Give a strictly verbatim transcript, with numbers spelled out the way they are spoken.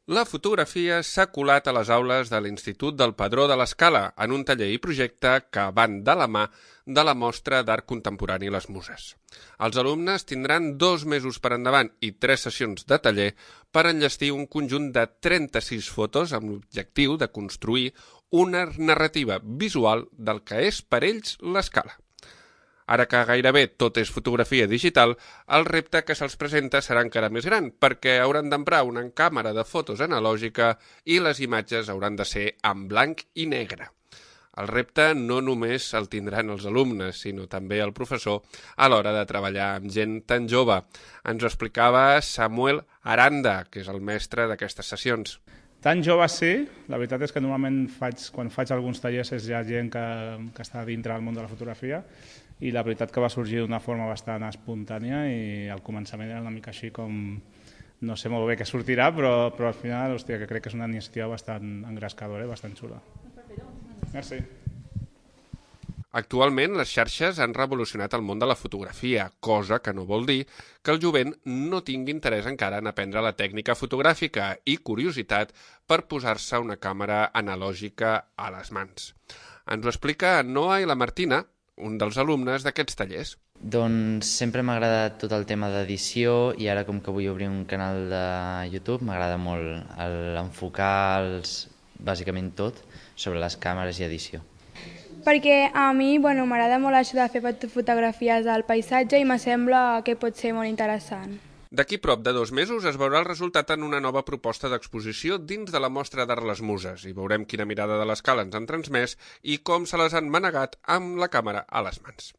La fotografia s'ha colat a les aules de l'Institut del Padró de l'Escala en un taller i projecte que van de la mà de la Mostra d'Art Contemporani Les Muses. Els alumnes tindran dos mesos per endavant i tres sessions de taller per enllestir un conjunt de trenta-sis fotos amb l'objectiu de construir una narrativa visual del que és per ells l'Escala. Ara que gairebé tot és fotografia digital, el repte que se'ls presenta serà encara més gran, perquè hauran d'emprar una càmera de fotos analògica i les imatges hauran de ser en blanc i negre. El repte no només el tindran els alumnes, sinó també el professor a l'hora de treballar amb gent tan jove. Ens ho explicava Samuel Aranda, que és el mestre d'aquestes sessions. Tan jove sí, la veritat és que normalment faig, quan faig alguns tallers és ja gent que, que està dintre del món de la fotografia, i la veritat que va sorgir d'una forma bastant espontània i al començament era una mica així com no sé molt bé què sortirà, però, però al final hòstia, que crec que és una iniciativa bastant engrescadora i bastant xula. Merci. Actualment, les xarxes han revolucionat el món de la fotografia, cosa que no vol dir que el jovent no tingui interès encara en aprendre la tècnica fotogràfica i curiositat per posar-se una càmera analògica a les mans. Ens ho explica Noa i la Martina, un dels alumnes d'aquests tallers. Doncs sempre m'ha agradat tot el tema d'edició i ara com que vull obrir un canal de YouTube m'agrada molt l'enfocar els, bàsicament tot sobre les càmeres i edició. Perquè a mi bueno, m'agrada molt això de fer fotografies del paisatge i me sembla que pot ser molt interessant. D'aquí prop de dos mesos es veurà el resultat en una nova proposta d'exposició dins de la Mostra d'Art Les Muses i veurem quina mirada de l'Escala ens han transmès i com se les han manegat amb la càmera a les mans.